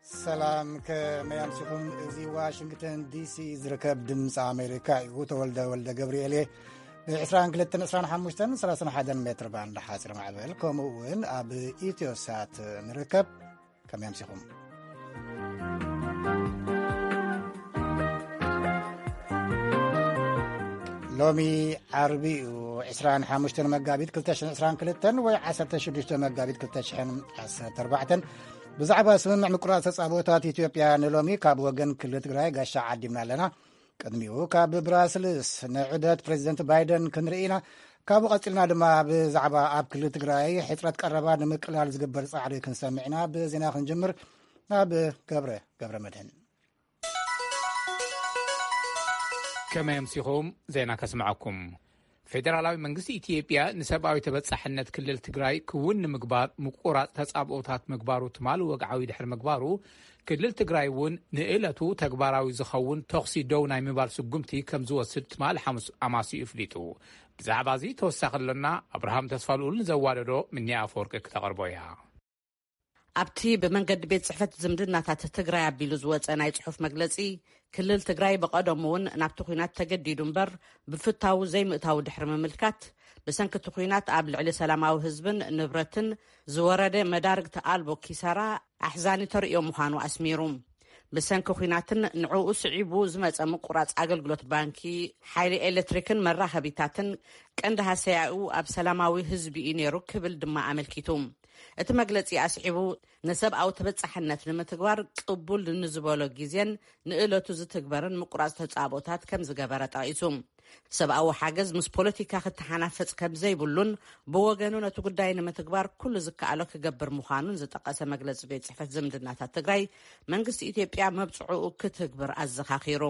ሰላም፣ ከመይ ኣምሲኹም? እዚ ዋሽንግተን ዲሲ ዝርከብ ድምፂ ኣሜሪካ እዩ። ተወልደ ወልደ ገብርኤል እየ። ብ22፣ 25፣ 31 ሜትር ባንድ ሓፂር ማዕበል፣ ከምኡ እውን ኣብ ኢትዮሳት ንርከብ። ከመይ ኣምሲኹም? ሎሚ ዓርቢ እዩ፣ 25 መጋቢት 2022 ወይ 16 መጋቢት 2014። ብዛዕባ ስምምዕ ምቁራፅ ተፃብኦታት ኢትዮጵያ ንሎሚ ካብ ወገን ክልል ትግራይ ጋሻ ዓዲምና ኣለና። ቅድሚኡ ካብ ብራስልስ ንዑደት ፕሬዚደንት ባይደን ክንርኢ ኢና። ካብኡ ቀፂልና ድማ ብዛዕባ ኣብ ክልል ትግራይ ሕፅረት ቀረባ ንምቅላል ዝግበር ፃዕሪ ክንሰምዕ ኢና። ብዜና ክንጅምር ናብ ገብረ፣ ገብረ መድህን። ከመይ ኣምሲኹም? ዜና ከስምዐኩም። ፌደራላዊ መንግስቲ ኢትዮጵያ ንሰብኣዊ ተበጻሕነት ክልል ትግራይ ክውን ንምግባር ምቁራጽ ተጻብኦታት ምግባሩ ትማሊ ወግዓዊ ድሕሪ ምግባሩ፣ ክልል ትግራይ እውን ንእለቱ ተግባራዊ ዝኸውን ተኹሲ ደው ናይ ምባል ስጉምቲ ከም ዝወስድ ትማሊ ሓሙስ ኣማሲኡ ኣፍሊጡ። ብዛዕባ እዚ ተወሳኺ ኣሎና። ኣብርሃም ተስፋልኡል ንዘዋደዶ ምንያ ኣፈወርቂ ክተቕርቦ እያ። ኣብቲ ብመንገዲ ቤት ጽሕፈት ዝምድናታት ትግራይ ኣቢሉ ዝወጸ ናይ ጽሑፍ መግለጺ፣ ክልል ትግራይ ብቐደሙ እውን ናብቲ ኲናት ተገዲዱ እምበር፣ ብፍታው ዘይምእታው ድሕሪ ምምልካት፣ ብሰንኪ እቲ ኲናት ኣብ ልዕሊ ሰላማዊ ህዝብን ንብረትን ዝወረደ መዳርግቲ ኣልቦ ኪሳራ ኣሕዛኒ ተርእዮ ምዃኑ ኣስሚሩ። ብሰንኪ ኲናትን ንዕኡ ስዒቡ ዝመጸ ምቁራጽ ኣገልግሎት ባንኪ፣ ሓይሊ ኤሌክትሪክን መራኸቢታትን፣ ቀንዲ ሃሰያኡ ኣብ ሰላማዊ ህዝቢ እዩ ነይሩ ክብል ድማ ኣመልኪቱ። እቲ መግለጺ ኣስዒቡ፣ ንሰብኣዊ ተበጻሕነት ንምትግባር ቅቡል ንዝበሎ ግዜን ንእለቱ ዝትግበርን ምቁራጽ ተጻብኦታት ከም ዝገበረ ጠቒሱ። ሰብኣዊ ሓገዝ ምስ ፖለቲካ ክተሓናፈጽ ከም ዘይብሉን ብወገኑ ነቲ ጉዳይ ንምትግባር ኩሉ ዝከኣሎ ክገብር ምዃኑን ዝጠቐሰ መግለጺ ቤት ጽሕፈት ዝምድናታት ትግራይ፣ መንግስቲ ኢትዮጵያ መብጽዕኡ ክትግብር ኣዘኻኺሩ።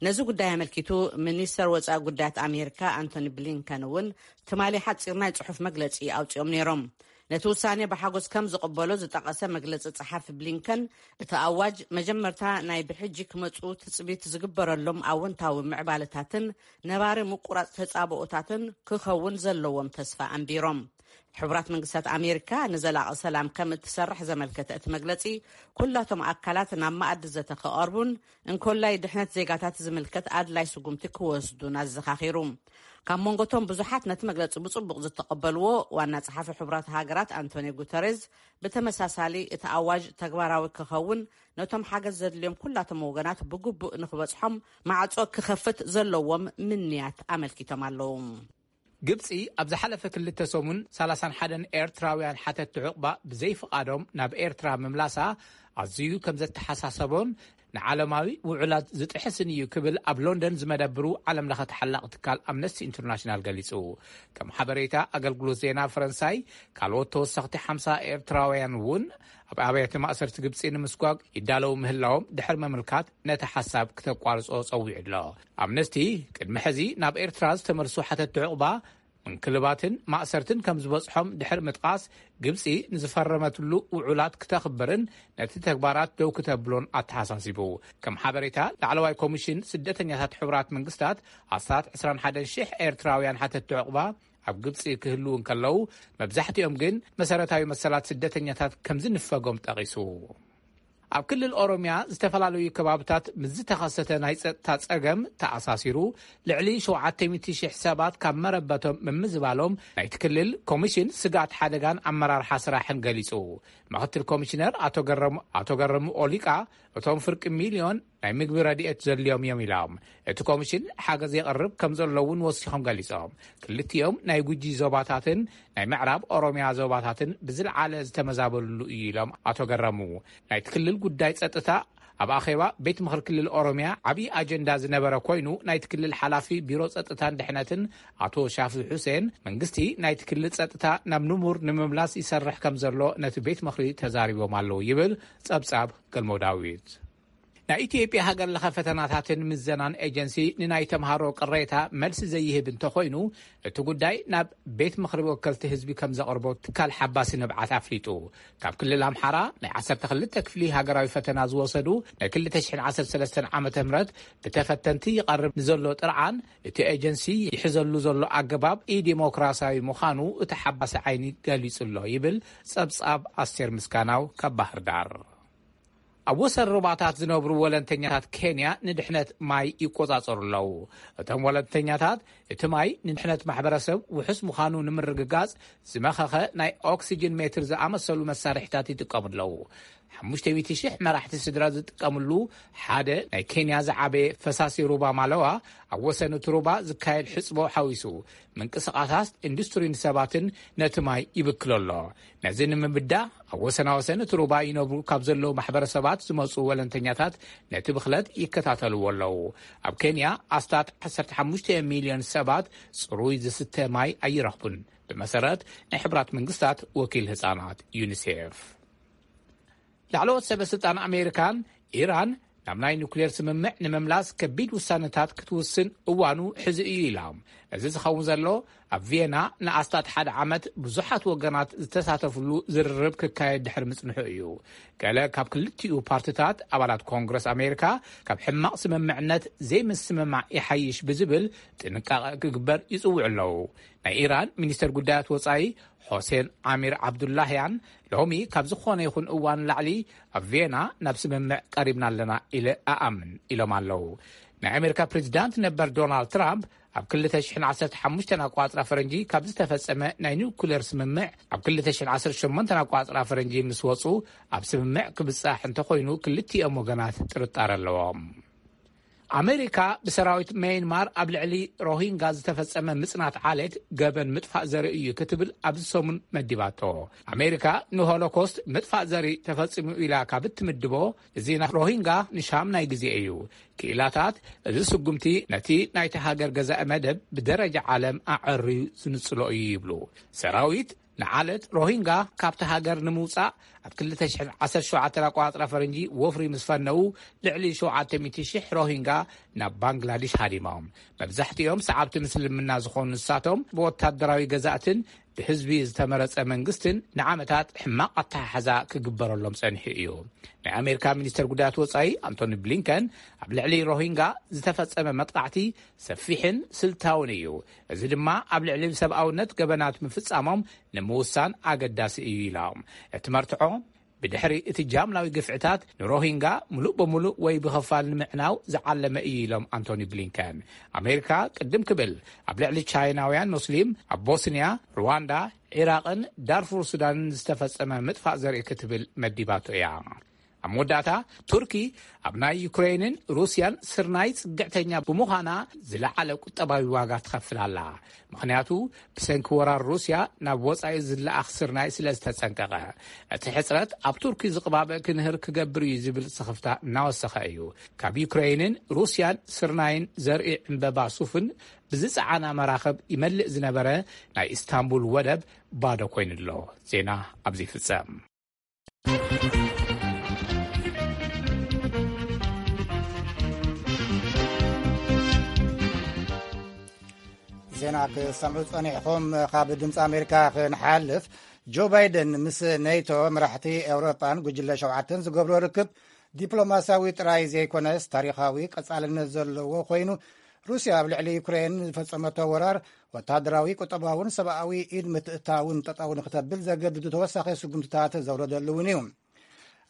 ነዚ ጉዳይ ኣመልኪቱ ሚኒስተር ወጻኢ ጉዳያት ኣሜሪካ ኣንቶኒ ብሊንከን እውን ትማሊ ሓጺር ናይ ጽሑፍ መግለጺ ኣውጺኦም ነይሮም። ነቲ ውሳኔ ብሓጎስ ከም ዝቕበሎ ዝጠቐሰ መግለጺ ጸሓፊ ብሊንከን፣ እቲ ኣዋጅ መጀመርታ ናይ ብሕጂ ክመጹ ትጽቢት ዝግበረሎም ኣወንታዊ ምዕባለታትን ነባሪ ምቁራጽ ተጻብኦታትን ክኸውን ዘለዎም ተስፋ ኣንቢሮም። ሕቡራት መንግስታት ኣሜሪካ ንዘላቒ ሰላም ከም እትሰርሕ ዘመልከተ እቲ መግለጺ፣ ኩላቶም ኣካላት ናብ መኣዲ ዘተ ክቐርቡን እንኮላይ ድሕነት ዜጋታት ዝምልከት ኣድላይ ስጉምቲ ክወስዱን ኣዘኻኺሩ። ካብ መንጎቶም ብዙሓት ነቲ መግለጺ ብጽቡቕ ዝተቐበልዎ ዋና ጸሓፊ ሕቡራት ሃገራት ኣንቶኒዮ ጉተሬዝ፣ ብተመሳሳሊ እቲ ኣዋጅ ተግባራዊ ክኸውን ነቶም ሓገዝ ዘድልዮም ኩላቶም ወገናት ብግቡእ ንክበጽሖም ማዕጾ ክኸፍት ዘለዎም ምንያት ኣመልኪቶም ኣለዉ። ግብጺ ኣብ ዝሓለፈ ክልተ ሰሙን 31 ኤርትራውያን ሓተቲ ዕቑባ ብዘይፍቓዶም ናብ ኤርትራ ምምላሳ ኣዝዩ ከም ዘተሓሳሰቦን ንዓለማዊ ውዕላት ዝጥሕስን እዩ ክብል ኣብ ሎንደን ዝመደብሩ ዓለም ለኸ ተሓላቒ ትካል ኣምነስቲ ኢንተርናሽናል ገሊጹ። ከም ሓበሬታ ኣገልግሎት ዜና ፈረንሳይ፣ ካልኦት ተወሰኽቲ ሓምሳ ኤርትራውያን እውን ኣብ ኣብያተ ማእሰርቲ ግብጺ ንምስጓግ ይዳለዉ ምህላዎም ድሕሪ ምምልካት ነቲ ሓሳብ ክተቋርጾ ጸዊዑ ኣሎ። ኣምነስቲ ቅድሚ ሕዚ ናብ ኤርትራ ዝተመልሱ ሓተቲ ዕቑባ ምንክልባትን ማእሰርትን ከም ዝበጽሖም ድሕሪ ምጥቃስ፣ ግብጺ ንዝፈረመትሉ ውዑላት ክተኽብርን ነቲ ተግባራት ደው ክተብሎን ኣተሓሳሲቡ። ከም ሓበሬታ ላዕለዋይ ኮሚሽን ስደተኛታት ሕቡራት መንግስታት፣ ኣስታት 21,000 ኤርትራውያን ሓተቲ ዕቑባ ኣብ ግብጺ ክህልዉ እንከለዉ፣ መብዛሕትኦም ግን መሰረታዊ መሰላት ስደተኛታት ከም ዝንፈጎም ጠቒሱ። ኣብ ክልል ኦሮምያ ዝተፈላለዩ ከባብታት ምስ ዝተኸሰተ ናይ ጸጥታ ጸገም ተኣሳሲሩ፣ ልዕሊ 700,000 ሰባት ካብ መረበቶም ምምዝባሎም ናይቲ ክልል ኮሚሽን ስግኣት ሓደጋን ኣመራርሓ ስራሕን ገሊጹ። ምክትል ኮሚሽነር ኣቶ ገረሙ፣ ኣቶ ገረሙ ኦሊቃ፣ እቶም ፍርቂ ሚልዮን ናይ ምግቢ ረድኤት ዘድልዮም እዮም ኢሎም። እቲ ኮሚሽን ሓገዝ የቕርብ ከም ዘሎ እውን ወሲኾም ገሊጾም። ክልቲኦም ናይ ጉጂ ዞባታትን ናይ ምዕራብ ኦሮምያ ዞባታትን ብዝለዓለ ዝተመዛበልሉ እዩ ኢሎም ኣቶ ገረሙ። ናይቲ ክልል ጉዳይ ጸጥታ ኣብ ኣኼባ ቤት ምኽሪ ክልል ኦሮምያ ዓብዪ ኣጀንዳ ዝነበረ ኮይኑ፣ ናይቲ ክልል ሓላፊ ቢሮ ጸጥታን ድሕነትን ኣቶ ሻፊ ሑሴን፣ መንግስቲ ናይቲ ክልል ጸጥታ ናብ ንቡር ንምምላስ ይሰርሕ ከም ዘሎ ነቲ ቤት ምኽሪ ተዛሪቦም ኣለዉ ይብል ጸብጻብ ገልሞ ዳዊት። ናይ ኢትዮጵያ ሃገር ለኸ ፈተናታትን ምዘናን ኤጀንሲ ንናይ ተምሃሮ ቅሬታ መልሲ ዘይህብ እንተኾይኑ፣ እቲ ጉዳይ ናብ ቤት ምኽሪ ወከልቲ ህዝቢ ከም ዘቕርቦ ትካል ሓባሲ ንብዓት ኣፍሊጡ። ካብ ክልል ኣምሓራ ናይ 12 ክፍሊ ሃገራዊ ፈተና ዝወሰዱ ናይ 2013 ዓመተ ምህረት ብተፈተንቲ ይቐርብ ንዘሎ ጥርዓን፣ እቲ ኤጀንሲ ይሕዘሉ ዘሎ ኣገባብ ኢዲሞክራሲያዊ ምዃኑ እቲ ሓባሲ ዓይኒ ገሊጹ ኣሎ ይብል ጸብጻብ ኣስቴር ምስጋናው ካብ ባህር ዳር። ኣብ ወሰን ሩባታት ዝነብሩ ወለንተኛታት ኬንያ ንድሕነት ማይ ይቆጻጸሩ ኣለዉ። እቶም ወለንተኛታት እቲ ማይ ንድሕነት ማሕበረሰብ ውሑስ ምዃኑ ንምርግጋጽ ዝመኸኸ ናይ ኦክሲጅን ሜትር ዝኣመሰሉ መሳርሒታት ይጥቀሙ ኣለዉ። ሓሙሽተ ሚእቲ ሽሕ መራሕቲ ስድራ ዝጥቀምሉ ሓደ ናይ ኬንያ ዝዓበየ ፈሳሲ ሩባ ማለዋ ኣብ ወሰን እቲ ሩባ ዝካየድ ሕጽቦ ሓዊሱ ምንቅስቓሳት ኢንዱስትሪን ሰባትን ነቲ ማይ ይብክሎ ኣሎ። ነዚ ንምብዳ ኣብ ወሰናወሰን እቲ ሩባ ይነብሩ ካብ ዘለዉ ማሕበረሰባት ዝመጹ ወለንተኛታት ነቲ ብኽለት ይከታተልዎ ኣለዉ። ኣብ ኬንያ ኣስታት ዓሰርተ ሓሙሽተ ሚልዮን ሰባት ጽሩይ ዝስተ ማይ ኣይረኽቡን። ብመሰረት ናይ ሕብራት መንግስታት ወኪል ህጻናት ዩኒሴፍ። ላዕለዎት ሰበ ስልጣን ኣሜሪካን ኢራን ናብ ናይ ኑክሌር ስምምዕ ንምምላስ ከቢድ ውሳነታት ክትውስን እዋኑ ሕዚ እዩ ኢላ። እዚ ዝኸውን ዘሎ ኣብ ቪየና ንኣስታት ሓደ ዓመት ብዙሓት ወገናት ዝተሳተፍሉ ዝርርብ ክካየድ ድሕሪ ምጽንሑ እዩ። ገለ ካብ ክልቲኡ ፓርትታት ኣባላት ኮንግረስ ኣሜሪካ ካብ ሕማቕ ስምምዕነት ዘይምስምማዕ ይሓይሽ ብዝብል ጥንቃቐ ክግበር ይጽውዑ ኣለዉ። ናይ ኢራን ሚኒስተር ጉዳያት ወጻኢ ሆሴን ኣሚር ዓብዱላህያን ሎሚ ካብ ዝኾነ ይኹን እዋን ላዕሊ ኣብ ቪየና ናብ ስምምዕ ቀሪብና ኣለና ኢለ ኣኣምን ኢሎም ኣለዉ። ናይ ኣሜሪካ ፕሬዚዳንት ነበር ዶናልድ ትራምፕ ኣብ ክልተ ሽሕን ዓሰርተ ሓሙሽተን ኣቋጽራ ፈረንጂ ካብ ዝተፈጸመ ናይ ኒውክሌር ስምምዕ ኣብ ክልተ ሽሕን ዓሰርተ ሸሞንተን ኣቋጽራ ፈረንጂ ምስ ወጹ ኣብ ስምምዕ ክብጻሕ እንተኾይኑ ክልቲኦም ወገናት ጥርጣረ ኣለዎም። ኣሜሪካ ብሰራዊት መይንማር ኣብ ልዕሊ ሮሂንጋ ዝተፈጸመ ምጽናት ዓሌት ገበን ምጥፋእ ዘርኢ እዩ ክትብል ኣብዚ ሰሙን መዲባቶ። ኣሜሪካ ንሆሎኮስት ምጥፋእ ዘርኢ ተፈጺሙ ኢላ ካብ እትምድቦ፣ እዚ ናይ ሮሂንጋ ንሻም ናይ ግዜ እዩ። ክኢላታት፣ እዚ ስጉምቲ ነቲ ናይቲ ሃገር ገዛኢ መደብ ብደረጃ ዓለም ኣዐርዩ ዝንጽሎ እዩ ይብሉ። ሰራዊት ንዓለት ሮሂንጋ ካብቲ ሃገር ንምውጻእ ኣብ ክልተ ሽሕን ዓሰርተ ሸውዓተን ኣቋጽራ ፈረንጂ ወፍሪ ምስ ፈነዉ፣ ልዕሊ ሸውዓተ ሚእቲ ሽሕ ሮሂንጋ ናብ ባንግላዲሽ ሃዲሞም። መብዛሕትኦም ሰዓብቲ ምስልምና ዝኾኑ ንሳቶም፣ ብወታደራዊ ገዛእትን ብህዝቢ ዝተመረጸ መንግስትን ንዓመታት ሕማቕ ኣተሓሕዛ ክግበረሎም ጸኒሑ እዩ። ናይ ኣሜሪካ ሚኒስተር ጉዳያት ወጻኢ ኣንቶኒ ብሊንከን ኣብ ልዕሊ ሮሂንጋ ዝተፈጸመ መጥቃዕቲ ሰፊሕን ስልታውን እዩ፣ እዚ ድማ ኣብ ልዕሊ ሰብኣውነት ገበናት ምፍጻሞም ንምውሳን ኣገዳሲ እዩ ኢሎም። እቲ መርትዖ፣ ብድሕሪ እቲ ጃምላዊ ግፍዕታት ንሮሂንጋ ምሉእ ብምሉእ ወይ ብኸፋል ንምዕናው ዝዓለመ እዩ ኢሎም ኣንቶኒ ብሊንከን። ኣሜሪካ ቅድም ክብል ኣብ ልዕሊ ቻይናውያን ሙስሊም ኣብ ቦስንያ፣ ሩዋንዳ፣ ዒራቕን ዳርፉር ሱዳንን ዝተፈጸመ ምጥፋእ ዘርኢ ክትብል መዲባቶ እያ። ኣብ መወዳእታ፣ ቱርኪ ኣብ ናይ ዩክሬንን ሩስያን ስርናይ ጽግዕተኛ ብምዃና ዝለዓለ ቁጠባዊ ዋጋ ትኸፍል ኣላ። ምኽንያቱ፣ ብሰንኪ ወራር ሩስያ ናብ ወጻኢ ዝለኣኽ ስርናይ ስለ ዝተጸንቀቐ። እቲ ሕጽረት ኣብ ቱርኪ ዝቕባበ ክንህር ክገብር እዩ ዝብል ስኽፍታ እናወሰኸ እዩ። ካብ ዩክሬንን ሩስያን ስርናይን ዘርኢ ዕምበባ ሱፍን ብዝጸዓና መራኽብ ይመልእ ዝነበረ ናይ ኢስታንቡል ወደብ ባዶ ኮይኑ ኣሎ። ዜና ኣብዚ ይፍጸም። ዜና ክሰምዑ ጸኒሕኹም። ካብ ድምፂ ኣሜሪካ ክንሓልፍ፣ ጆ ባይደን ምስ ኔቶ፣ መራሕቲ ኤውሮጳን ጉጅለ ሸውዓተን ዝገብሮ ርክብ ዲፕሎማስያዊ ጥራይ ዘይኮነስ ታሪኻዊ ቀጻልነት ዘለዎ ኮይኑ፣ ሩስያ ኣብ ልዕሊ ዩክሬን ዝፈጸመቶ ወራር ወታደራዊ፣ ቁጠባውን ሰብኣዊ ኢድ ምትእታውን ጠጠው ንክተብል ዘገድዱ ተወሳኺ ስጉምትታት ዘውረደሉ እውን እዩ።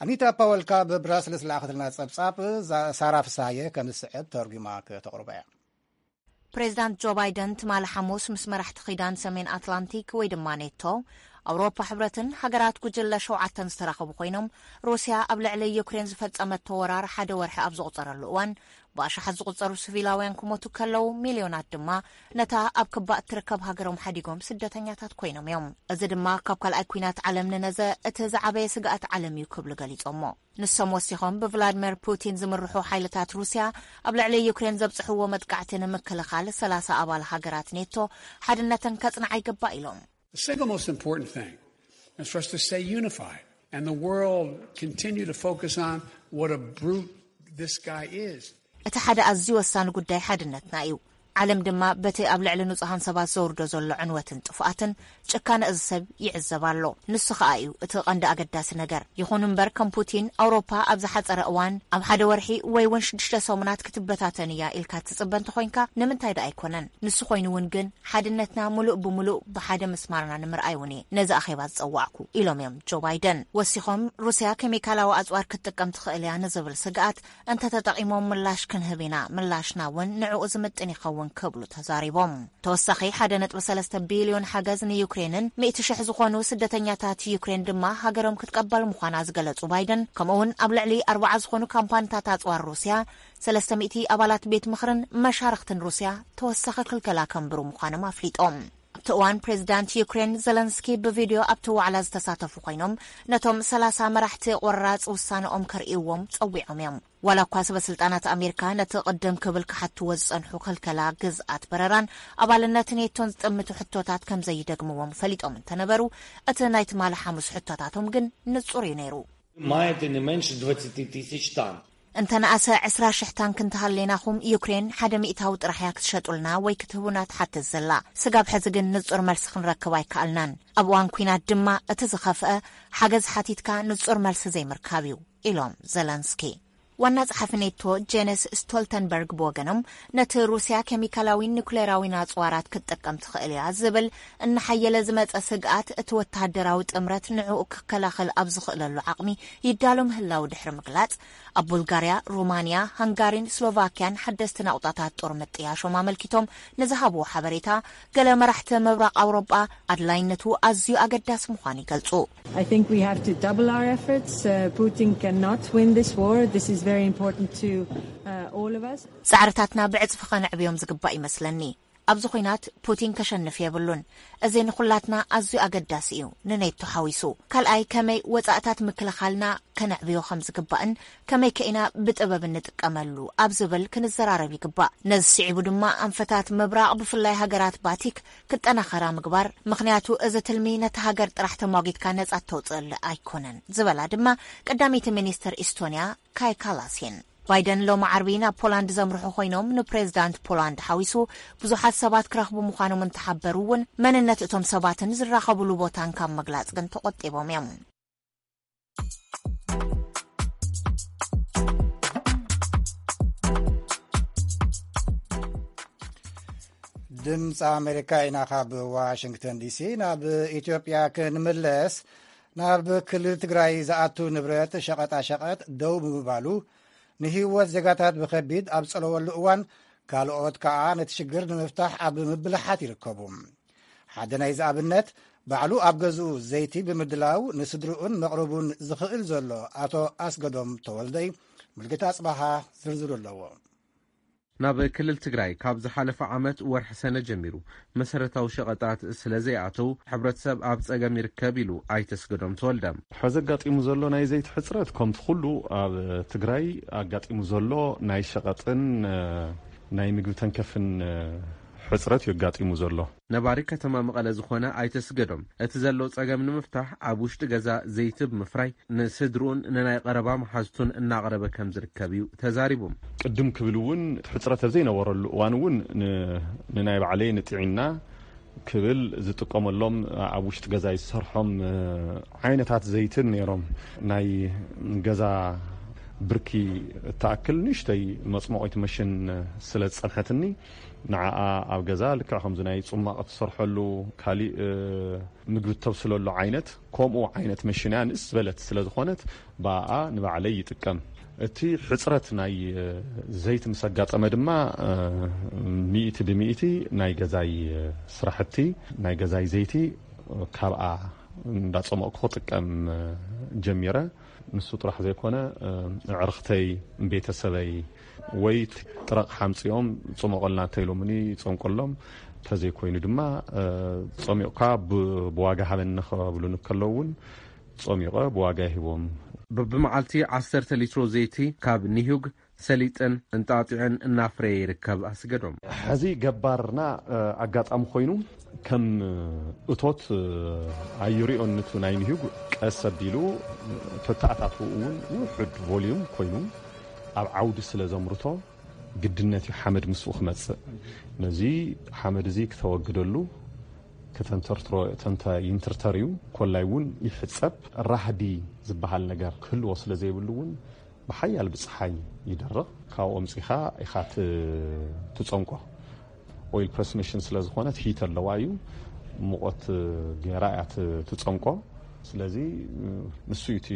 ኣኒታ ፓወል ካብ ብራስልስ ዝለኣኸትልና ጸብጻብ፣ ዛ-፣ ሳራ ፍሳየ ከም ዝስዕብ ተርጉማ ከተቕርቦ እያ። ፕሬዚዳንት ጆ ባይደን ትማሊ ሓሙስ ምስ መራሕቲ ኪዳን ሰሜን ኣትላንቲክ ወይ ድማ ኔቶ፣ ኣውሮፓ ሕብረትን ሃገራት ጉጅለ ሸውዓተን ዝተራኸቡ ኮይኖም፣ ሩስያ ኣብ ልዕሊ ዩክሬን ዝፈጸመቶ ወራር ሓደ ወርሒ ኣብ ዝቑጸረሉ እዋን፣ ብኣሽሓት ዝቑጸሩ ሲቪላውያን ክሞቱ ከለዉ፣ ሚልዮናት ድማ ነታ ኣብ ክባ እትርከብ ሃገሮም ሓዲጎም ስደተኛታት ኮይኖም እዮም። እዚ ድማ ካብ ካልኣይ ኲናት ዓለም ንነዘ እቲ ዝዓበየ ስግኣት ዓለም እዩ ክብሉ ገሊጾሞ። ንሶም ወሲኾም፣ ብቭላድሚር ፑቲን ዝምርሑ ሓይልታት ሩስያ ኣብ ልዕሊ ዩክሬን ዘብጽሕዎ መጥቃዕቲ ንምክልኻል ሰላሳ ኣባል ሃገራት ኔቶ ሓድነተን ከጽንዓ ይግባእ ኢሎም። The single most important thing is for us to stay unified and the world continue to focus on what a brute this guy is. እቲ ሓደ ኣዝዩ ወሳኒ ጉዳይ ሓድነትና እዩ። ዓለም ድማ በቲ ኣብ ልዕሊ ንጹሃን ሰባት ዘውርዶ ዘሎ ዕንወትን ጥፍኣትን ጭካነ እዚ ሰብ ይዕዘብ ኣሎ። ንሱ ኸኣ እዩ እቲ ቀንዲ ኣገዳሲ ነገር። ይኹን እምበር፣ ከም ፑቲን፣ ኣውሮፓ ኣብ ዝሓጸረ እዋን፣ ኣብ ሓደ ወርሒ ወይ እውን ሽዱሽተ ሰሙናት ክትበታተን እያ ኢልካ ትጽበ እንተኾይንካ፣ ንምንታይ ደኣ ኣይኮነን? ንሱ ኮይኑ እውን ግን፣ ሓድነትና ምሉእ ብምሉእ ብሓደ ምስማርና ንምርኣይ እውን እየ ነዚ ኣኼባ ዝጸዋዕኩ፣ ኢሎም እዮም ጆ ባይደን። ወሲኾም፣ ሩስያ ኬሚካላዊ ኣጽዋር ክትጥቀም ትኽእል እያ ንዝብል ስግኣት እንተተጠቒሞም ምላሽ ክንህብ ኢና፣ ምላሽና እውን ንዕኡ ዝምጥን ይኸውን ክብሉ ተዛሪቦም። ተወሳኺ ሓደ ነጥቢ ሰለስተ ቢልዮን ሓገዝ ንዩክሬንን ሚእቲ ሽሕ ዝኾኑ ስደተኛታት ዩክሬን ድማ ሃገሮም ክትቀበል ምዃና ዝገለጹ ባይደን፣ ከምኡውን ኣብ ልዕሊ ኣርባዓ ዝኾኑ ካምፓኒታት ኣጽዋር ሩስያ፣ ሰለስተ ሚእቲ ኣባላት ቤት ምኽርን መሻርኽትን ሩስያ ተወሳኺ ክልከላ ከንብሩ ምዃኖም ኣፍሊጦም። ኣብቲ እዋን ፕሬዚዳንት ዩክሬን ዘለንስኪ ብቪድዮ ኣብቲ ዋዕላ ዝተሳተፉ ኮይኖም፣ ነቶም ሰላሳ መራሕቲ ቁራጽ ውሳነኦም ከርእይዎም ጸዊዖም እዮም። ዋላ እኳ ሰበ ስልጣናት ኣሜሪካ ነቲ ቅድም ክብል ክሓትዎ ዝጸንሑ ክልከላ ግዝኣት በረራን ኣባልነት ኔቶን ዝጥምቱ ሕቶታት ከም ዘይደግምዎም ፈሊጦም እንተነበሩ፣ እቲ ናይ ትማሊ ሓሙስ ሕቶታቶም ግን ንጹር እዩ ነይሩ። Маєте не менше двадцять тисяч танків. እንተ ንኣሰ ዕስራ ሽሕ ታንክ እንተሃሌናኹም፣ ዩክሬን ሓደ ሚእታዊ ጥራሕ እያ ክትሸጡልና ወይ ክትህቡና ትሓትት ዘላ። ስጋብ ሕዚ ግን ንጹር መልሲ ክንረክብ ኣይከኣልናን። ኣብ እዋን ኲናት ድማ እቲ ዝኸፍአ፣ ሓገዝ ሓቲትካ ንጹር መልሲ ዘይምርካብ እዩ፣ ኢሎም ዘለንስኪ። ዋና ጸሓፊ ኔቶ ጄነስ ስቶልተንበርግ ብወገኖም፣ ነቲ ሩስያ ኬሚካላዊን ኒኩሌራዊን ኣጽዋራት ክትጥቀም ትኽእል እያ ዝብል እናሓየለ ዝመጸ ስግኣት፣ እቲ ወተሃደራዊ ጥምረት ንዕኡ ክከላኸል ኣብ ዝኽእለሉ ዓቕሚ ይዳሎ ምህላው ድሕሪ ምግላጽ፣ ኣብ ቡልጋርያ፣ ሩማንያ፣ ሃንጋሪን ስሎቫክያን ሓደስቲ ናቑጣታት ጦር ምጥያሾም ኣመልኪቶም ንዝሃብዎ ሓበሬታ፣ ገለ መራሕቲ ምብራቕ ኣውሮጳ ኣድላይነቱ ኣዝዩ ኣገዳሲ ምዃኑ ይገልጹ። I think we have to double our efforts. Uh, Putin cannot win this war. This is very important to uh, all of us. ጻዕርታትና ብዕጽፊ ኸነዕብዮም ዝግባእ ይመስለኒ። ኣብዚ ኹናት ፑቲን ከሸንፍ የብሉን። እዚ ንኹላትና ኣዝዩ ኣገዳሲ እዩ፣ ንኔቶ ሓዊሱ። ካልኣይ፣ ከመይ ወጻእታት ምክልኻልና ከነዕብዮ ከም ዝግባእን ከመይ ከኢና ብጥበብ እንጥቀመሉ ኣብ ዝብል ክንዘራረብ ይግባእ። ነዚ ስዒቡ ድማ ኣንፈታት ምብራቕ፣ ብፍላይ ሃገራት ባቲክ፣ ክጠናኸራ ምግባር። ምኽንያቱ እዚ ትልሚ ነቲ ሃገር ጥራሕ ተሟጊትካ ነጻ እተውጽእሉ ኣይኮነን ዝበላ ድማ ቀዳመይቲ ሚኒስትር ኢስቶንያ ካይ ካላስ እየን። ባይደን ሎሚ ዓርቢ ናብ ፖላንድ ዘምርሑ ኮይኖም፣ ንፕሬዚዳንት ፖላንድ ሓዊሱ ብዙሓት ሰባት ክረኽቡ ምዃኖም እንተሓበሩ እውን፣ መንነት እቶም ሰባትን ዝራኸብሉ ቦታን ካብ ምግላጽ ግን ተቖጢቦም እዮም። ድምፂ ኣሜሪካ ኢና ካብ ዋሽንግተን ዲሲ። ናብ ኢትዮጵያ ክንምለስ፣ ናብ ክልል ትግራይ ዝኣቱ ንብረት ሸቐጣ ሸቐጥ ደው ብምባሉ ንህይወት ዜጋታት ብኸቢድ ኣብ ዝጸለወሉ እዋን፣ ካልኦት ከኣ ነቲ ሽግር ንምፍታሕ ኣብ ምብልሓት ይርከቡ። ሓደ ናይዚ ኣብነት፣ ባዕሉ ኣብ ገዝኡ ዘይቲ ብምድላው ንስድርኡን መቕርቡን ዝኽእል ዘሎ ኣቶ ኣስገዶም ተወልደይ፣ ሙልጌታ ኣጽባሃ ዝርዝሩ ኣለዎ። ናብ ክልል ትግራይ ካብ ዝሓለፈ ዓመት ወርሒ ሰነ ጀሚሩ መሰረታዊ ሸቐጣት ስለ ዘይኣተው፣ ሕብረተሰብ ኣብ ጸገም ይርከብ ኢሉ ኣይተ ኣስገዶም ተወልደ። ሕዚ ኣጋጢሙ ዘሎ ናይ ዘይቲ ሕጽረት፣ ከምቲ ኩሉ ኣብ ትግራይ ኣጋጢሙ ዘሎ ናይ ሸቐጥን ናይ ምግቢ ተንከፍን ሕጽረት እዩ ኣጋጢሙ ዘሎ። ነባሪ ከተማ መቐለ ዝኾነ ኣይተ ኣስገዶም፣ እቲ ዘሎ ጸገም ንምፍታሕ ኣብ ውሽጢ ገዛ ዘይቲ ብምፍራይ ንስድርኡን ንናይ ቀረባ መሓዙቱን እናቕረበ ከም ዝርከብ እዩ ተዛሪቡ። ቅድም ክብል እውን፣ ሕጽረት ኣብ ዘይነበረሉ እዋን እውን ን-፣ ንናይ ባዕለይ ንጥዒና ክብል ዝጥቀመሎም ኣብ ውሽጢ ገዛይ ዝሰርሖም ዓይነታት ዘይትን ነይሮም። ናይ ገዛ ብርኪ እትኣክል ንእሽተይ መጽሞቒት መሽን ስለ ዝጸንሐትኒ፣ ንዓኣ ኣብ ገዛ ልክዕ ከምዚ ናይ ጽማቕ እትሰርሐሉ፣ ካሊእ ምግቢ እተብስለሉ ዓይነት፣ ከምኡ ዓይነት መሽን እያ። ንእስ ዝበለት ስለ ዝኾነት፣ ብኣኣ ንባዕለይ ይጥቀም። እቲ ሕጽረት ናይ ዘይቲ ምስ ኣጋጠመ ድማ፣ ሚእቲ ብሚእቲ ናይ ገዛይ ስራሕቲ፣ ናይ ገዛይ ዘይቲ ካብኣ እንዳጸመቕኩ ክጥቀም ጀሚረ። ንሱ ጥራሕ ዘይኮነ፣ ኣዕርኽተይ፣ ቤተሰበይ፣ ወይ ጥረቕ ሓምጺኦም ጽመቑልና እንተኢሎምኒ ይጸምቀሎም። እንተዘይኮይኑ ድማ፣ ጸሚቕካ ብ-፣ ብዋጋ ሃበኒ ክብሉኒ ከለዉ እውን ጸሚቐ ብዋጋ ይህቦም። በብመዓልቲ ዓሰርተ ሊትሮ ዘይቲ ካብ ኒሁግ፣ ሰሊጥን እንጣጢዕን እናፍረየ ይርከብ ኣስገዶም። ሕዚ ገባርና፣ እ፣ ኣጋጣሚ ኮይኑ ከም እቶት፣ እ፣ ኣይርዮን። ንቱ ናይ ኒሁግ ቀስ ኣቢሉ፣ እ፣ ተተኣታትኡ እውን ውሑድ ቮልዩም ኮይኑ ኣብ ዓውዲ ስለ ዘምርቶ፣ ግድነት እዩ ሓመድ ምስኡ ክመጽእ። ነዚ ሓመድ እዚ ክተወግደሉ ከተንተርትሮ ተንተ ይንትርተር እዩ። ኮላይ እውን ይሕጸብ። ራህዲ ዝበሃል ነገር ክህልዎ ስለ ዘይብሉ እውን ብሓያል ብጽሓይ ይደርቕ። ካብኡ ኣምጺኻ ኢኻ ት-፣ ትጸንቆ። ኦይል ፕረስ መሽን ስለ ዝኾነት ሂት ኣለዋ እዩ። ሙቐት ገይራ እያ ት-፣ ትጸንቆ። ስለዚ ንሱ እዩ እቲ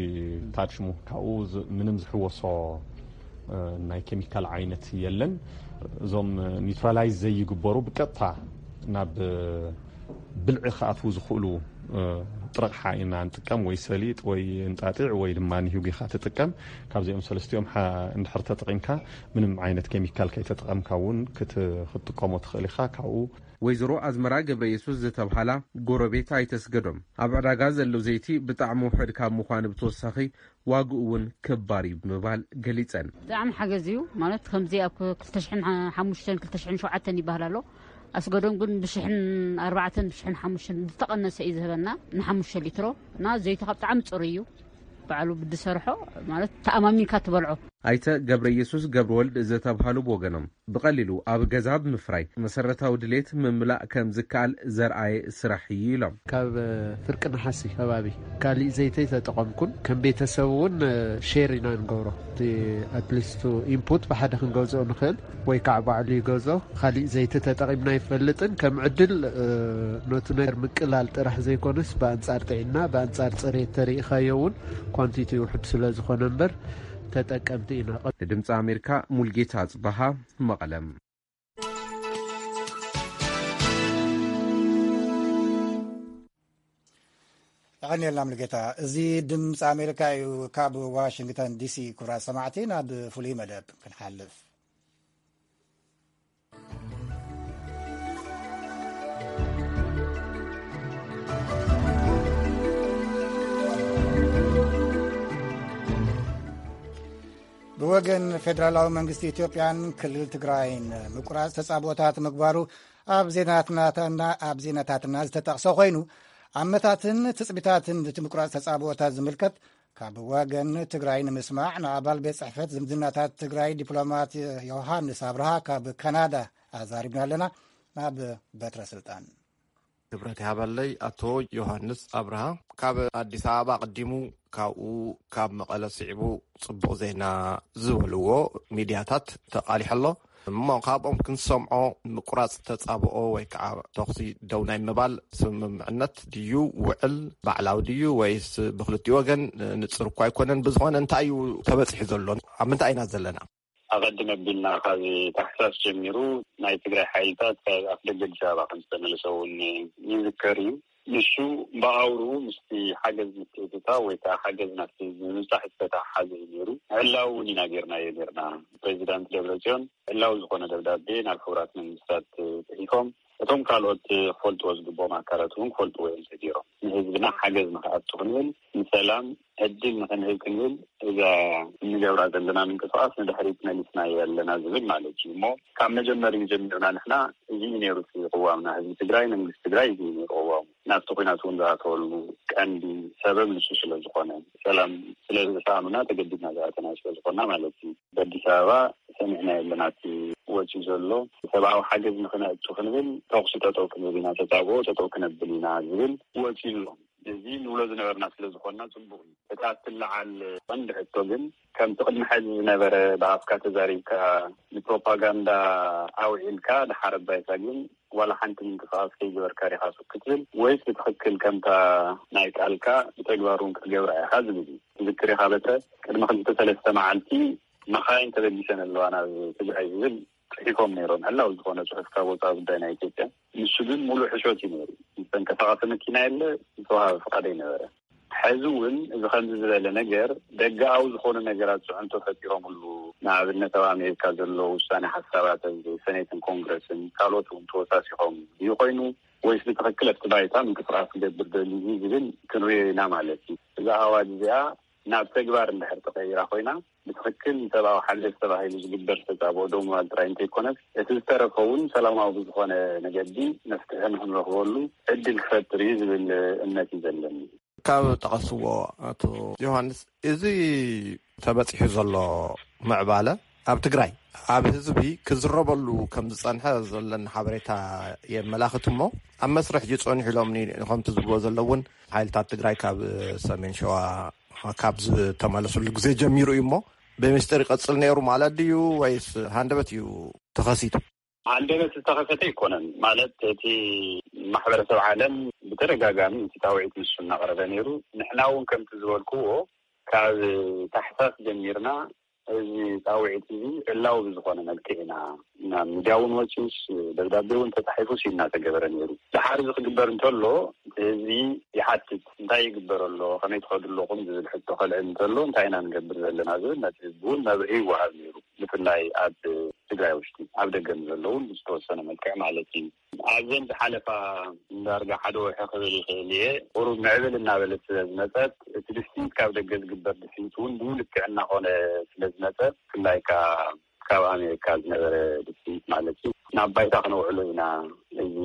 ታድ ሽሙ። ካብኡ ዝ-፣ ምንም ዝሕወሶ፣ እ፣ ናይ ኬሚካል ዓይነት የለን። እዞም ኒውትራላይዝ ዘይግበሩ ብቀጥታ ናብ ብልዒ ክኣትዉ ዝኽእሉ፣ እ፣ ጥረቕሓ ኢና ንጥቀም፣ ወይ ሰሊጥ ወይ እንጣጢዕ ወይ ድማ ንሂጉ ኢኻ ትጥቀም። ካብዚኦም ሰለስቲኦም ሓ-፣ እንድሕር ተጠቒምካ፣ ምንም ዓይነት ኬሚካል ከይተጠቐምካ እውን ክት-፣ ክትጥቀሞ ትኽእል ኢኻ። ካብኡ ወይዘሮ ኣዝመራ ገብረ የሱስ ዝተብሃላ ጎረቤት ኣይተስገዶም፣ ኣብ ዕዳጋ ዘሎ ዘይቲ ብጣዕሚ ውሑድ ካብ ምዃኑ ብተወሳኺ ዋግኡ እውን ክባር እዩ ብምባል ገሊጸን። ብጣዕሚ ሓገዝ እዩ። ማለት ከምዚ ኣብ ክልተ ሽሕን ሓሙሽተን ክልተ ሽሕን ሸውዓተን ይበሃል ኣሎ። ኣስገዶም ግን ብሽሕን ኣርባዕተን ብሽሕን ሓሙሽተን ዝተቐነሰ እዩ ዝህበና ንሓሙሽተ ሊትሮ። እና ዘይቲ ካብ ብጣዕሚ ጽሩይ እዩ። ባዕሉ ብድሰርሖ ማለት ተኣማሚንካ ትበልዖ። ኣይተ ገብረ ኢየሱስ ገብረ ወልድ ዝተብሃሉ ብወገኖም፣ ብቐሊሉ ኣብ ገዛ ብምፍራይ መሰረታዊ ድሌት ምምላእ ከም ዝከኣል ዘርኣየ ስራሕ እዩ ኢሎም። ካብ ፍርቂ ነሓሲ ከባቢ ካሊእ ዘይተይ ተጠቐምኩን፣ ከም ቤተሰብ እውን ሼር ኢና ንገብሮ። እቲ ኣትሊስቱ ኢንፑት ብሓደ ክንገዝኦ ንኽእል ወይ ከዓ ባዕሉ ይገዝኦ። ካሊእ ዘይቲ ተጠቒምና ይፈልጥን ከም ዕድል፣ እ፣ ነቱ ነገር ምቅላል ጥራሕ ዘይኮነስ ብኣንጻር ጥዕና፣ ብኣንጻር ጽሬት ተሪኢኻዮ እውን ኳንቲቲ ውሑድ ስለ ዝኾነ እምበር ተጠቀምቲ ኢና። ንድምፂ ኣሜሪካ ሙልጌታ ጽበሃ መቐለም። የቐንየልና ሙሉጌታ። እዚ ድምፂ ኣሜሪካ እዩ። ካብ ዋሽንግተን ዲሲ ክቡራት ሰማዕቲ ናብ ፍሉይ መደብ ክንሓልፍ። ብወገን ፌደራላዊ መንግስቲ ኢትዮጵያን ክልል ትግራይን ምቁራፅ ተፃብኦታት ምግባሩ ኣብ ዜናታትና፣ ኣብ ዜናታትና ዝተጠቕሰ ኮይኑ፣ ኣመታትን ትፅቢታትን እቲ ምቁራፅ ተፃብኦታት ዝምልከት ካብ ወገን ትግራይ ንምስማዕ ንኣባል ቤት ፅሕፈት ዝምድናታት ትግራይ ዲፕሎማት ዮሃንስ ኣብርሃ ካብ ካናዳ ኣዛሪብና ኣለና። ናብ በትረ ስልጣን። ክብረት ይሃበለይ ኣቶ ዮሃንስ ኣብርሃ። ካብ ኣዲስ ኣበባ ኣቐዲሙ ካብኡ ካብ መቐለ ስዒቡ ጽቡቕ ዜና ዝበልዎ ሚድያታት ተቓሊሑ ኣሎ። እሞ ካብኦም ክንሰምዖ ምቁራጽ ተጻብኦ ወይ ከዓ ተኹሲ ደው ናይ ምባል ስምምዕነት ድዩ ውዕል ባዕላዊ ድዩ ወይስ ብክልቲኡ ወገን ንጽር እኳ ኣይኮነን። ብዝኾነ እንታይ እዩ ተበጺሑ ዘሎ? ኣብ ምንታይ ኢና ዘለና? ኣቐድም ኣቢልና ካብ ታሕሳስ ጀሚሩ ናይ ትግራይ ሓይልታት ካብ ኣፍደገ ኣዲስ ኣበባ ከም ዝተመለሰ እውን ይዝከር እዩ። ንሱ ብኣውርኡ ምስቲ ሓገዝ ምትእትታው ወይ ከዓ ሓገዝ ናብቲ ህዝቢ ምብፃሕ ዝተተሓሓዘ እዩ ነይሩ። ዕላዊ እውን ኢና ጌርናዮ ኔርና። ፕሬዚዳንት ደብረፅዮን ዕላዊ ዝኾነ ደብዳቤ ናብ ሕቡራት መንግስታት ፅሒፎም። እቶም ካልኦት ክፈልጥዎ ዝግብኦም ኣካላት እውን ክፈልጥዎ እዮም ተገይሮም። ንህዝብና ሓገዝ ንክኣቱ ክንብል፣ ንሰላም ዕድል ንክንህብ ክንብል እዛ እንገብራ ዘለና ምንቅስቃስ ንድሕሪት መሊስናዮ ኣለና ዝብል ማለት እዩ። እሞ ካብ መጀመሪኡ ጀሚርና ንሕና እዚ እዩ ነይሩ እቲ ቅዋምና። ህዝቢ ትግራይ፣ መንግስቲ ትግራይ እዚ እዩ ነይሩ ቅዋሙ። ናብቲ ኲናት እውን ዝኣተወሉ ቀንዲ ሰበብ ንሱ ስለ ዝኾነ፣ ሰላም ስለ ዝሰኣኑና ተገዲድና ዝኣተና ስለ ዝኾንና ማለት እዩ። በኣዲስ ኣበባ ሰሚዕናዮ ኣለና። እቲ ወፂኡ ዘሎ ሰብኣዊ ሓገዝ ንክነእቱ ክንብል ተኹሲ ጠጠው ክንብል ኢና፣ ተፃብኦ ጠጠው ክነብል ኢና ዝብል ወፂኡ ኣሎ። እዚ ንብሎ ዝነበርና ስለ ዝኾንና ፅቡቕ እዩ። እታ እትለዓል ቀንዲ ሕቶ ግን ከምቲ ቅድሚ ሕዚ ዝነበረ ብኣፍካ ተዛሪብካ ንፕሮፓጋንዳ ኣውዒልካ ድሓር ኣባይታ ግን ዋላ ሓንቲ ምንቅስቃስ ከይገበርካ ዲኻ ሱቅ ክትብል ወይስ ብትኽክል ከምታ ናይ ቃልካ ብተግባር እውን ክትገብራ ኢኻ ዝብል እዩ። ትዝክር ኢኻ በተ ቅድሚ ክልተ ሰለስተ መዓልቲ መኻይን ተበጊሰን ኣለዋ ናብ ትግራይ ዝብል ጽሒፎም ነይሮም። ዕላዊ ዝኾነ ጽሑፍ ካብ ወጻኢ ጉዳይ ናይ ኢትዮጵያ። ንሱ ግን ሙሉእ ሕሾት እዩ ነይሩ። ዝተንቀሳቐሰ መኪና የለ፣ ዝተዋሃበ ፍቓድ ኣይነበረ። ሕዚ እውን እዚ ከምዚ ዝበለ ነገር ደገኣዊ ዝኾኑ ነገራት ጽዕንቶ ፈጢሮምሉ። ንኣብነት ኣብ ኣሜሪካ ዘሎ ውሳኔ ሓሳባት ኣብ ሰኔትን ኮንግረስን ካልኦት እውን ተወሳሲኾም እዩ ኮይኑ ወይስ ብትኽክል ኣብቲ ባይታ ምንቅስቃስ ክገብር ደልዩ ዝብል ክንሪኦ ኢና ማለት እዩ። እዛ ኣዋጅ እዚኣ ናብ ተግባር እንድሕር ተቐይራ ኮይና ብትኽክል ንሰብኣዊ ሓገዝ ተባሂሉ ዝግበር ተጻብኦ ደው ምባል ጥራይ እንተይኮነስ እቲ ዝተረፈ እውን ሰላማዊ ብዝኾነ መገዲ መፍትሒ ንክንረኽበሉ ዕድል ክፈጥር እዩ ዝብል እምነት እዩ ዘለኒ። ካብ ጠቐስዎ ኣቶ ዮሃንስ፣ እዚ ተበጺሑ ዘሎ ምዕባለ ኣብ ትግራይ ኣብ ህዝቢ ክዝረበሉ ከም ዝጸንሐ ዘለኒ ሓበሬታ የመላኽት። እሞ ኣብ መስርሕ እዩ ጸኒሑ ኢሎም ከምቲ ዝብሎ ዘለውን ሓይልታት ትግራይ ካብ ሰሜን ሸዋ ካብ ዝተመለሱሉ ግዜ ጀሚሩ እዩ። እሞ ብምስጢር ይቐጽል ነይሩ ማለት ድዩ ወይስ ሃንደበት እዩ ተኸሲቱ? ሃንደበት ዝተኸሰተ ኣይኮነን። ማለት እቲ ማሕበረሰብ ዓለም ብተደጋጋሚ እቲ ፃውዒት ንሱ እናቐረበ ነይሩ። ንሕና እውን ከምቲ ዝበልክዎ ካብ ታሕሳስ ጀሚርና እዚ ፃውዒት እዚ ዕላዊ ብዝኾነ መልክዕ ኢና ናብ ሚድያ እውን ወፂኡስ ደብዳቤ እውን ተፃሒፉስ እናተገበረ ነይሩ። ድሓር እዚ ክግበር እንተሎ ህዝቢ ይሓትት፣ እንታይ ይግበር ኣሎ፣ ከመይ ትኸዱ ኣለኹም ዝብል ሕቶ ከልዕል እንተሎ እንታይ ኢና ንገብር ዘለና ዝብል ነቲ ህዝቢ እውን መብርሂ ይወሃብ ነይሩ። ብፍላይ ኣብ ትግራይ ውሽጢ ኣብ ደገ ንዘለውን ብዝተወሰነ መልክዕ ማለት እዩ። ኣብዘን ዝሓለፋ ዳርጋ ሓደ ወርሒ ክብል ይኽእል እየ። ቁሩብ ምዕብል እናበለት ስለ ዝመፀት እቲ ድፍኢት ካብ ደገ ዝግበር ድፍኢት እውን ብኡ ልክዕ እናኾነ ስለ ዝመፀ ብፍላይ ከዓ ካብ ኣሜሪካ ዝነበረ ድፍኢት ማለት እዩ ናብ ባይታ ክነውዕሎ ኢና። እዚ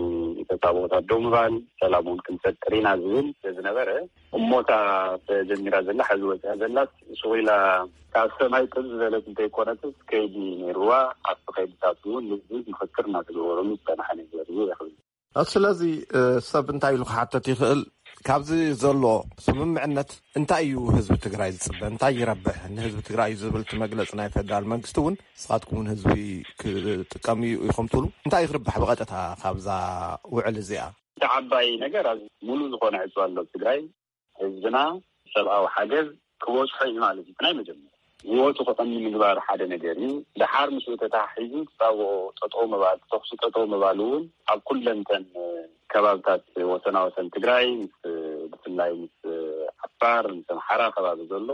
ተፃብኦታት ደው ምባል ሰላም እውን ክንፈጥር ኢና ዝብል ስለ ዝነበረ እሞታ ተጀሚራ ዘላ ሓዚ ወፂኣ ዘላስ ሱቕ ኢላ ካብ ሰማይ ጥብ ዝበለት እንተይኮነትስ ከይዲ ነይርዋ። ኣብቲ ከይድታት እውን ልዝብ ምኽክር እናተገበረሉ ዝፀናሐ ነገር እዩ ይኽብል። ስለዚ ሰብ እንታይ ኢሉ ክሓተት ይኽእል? ካብዚ ዘሎ ስምምዕነት እንታይ እዩ ህዝቢ ትግራይ ዝፅበ? እንታይ ይረብሕ ንህዝቢ ትግራይ እዩ ዝብል እቲ መግለፂ ናይ ፌደራል መንግስቲ እውን ንስኻትኩም እውን ህዝቢ ክጥቀም እዩ ኢኹም ትብሉ። እንታይ ክርባሕ ብቐጥታ ካብዛ ውዕል እዚኣ? እቲ ዓባይ ነገር ኣብ ሙሉ ዝኾነ ዕፅዋ ኣሎ ትግራይ። ህዝብና ሰብኣዊ ሓገዝ ክበፅሖ እዩ ማለት እዩ። ናይ መጀመርያ ህይወቱ ክቐኒ ምግባር ሓደ ነገር እዩ። ድሓር ምስኡ ተተሓሒዙ ተፃብኦ ጠጠው ምባል፣ ተኹሲ ጠጠው ምባል እውን ኣብ ኩለንተን ከባብታት ወሰናወሰን ትግራይ ምስ ብፍላይ ምስ ዓፋር ምስ ኣምሓራ ከባቢ ዘሎ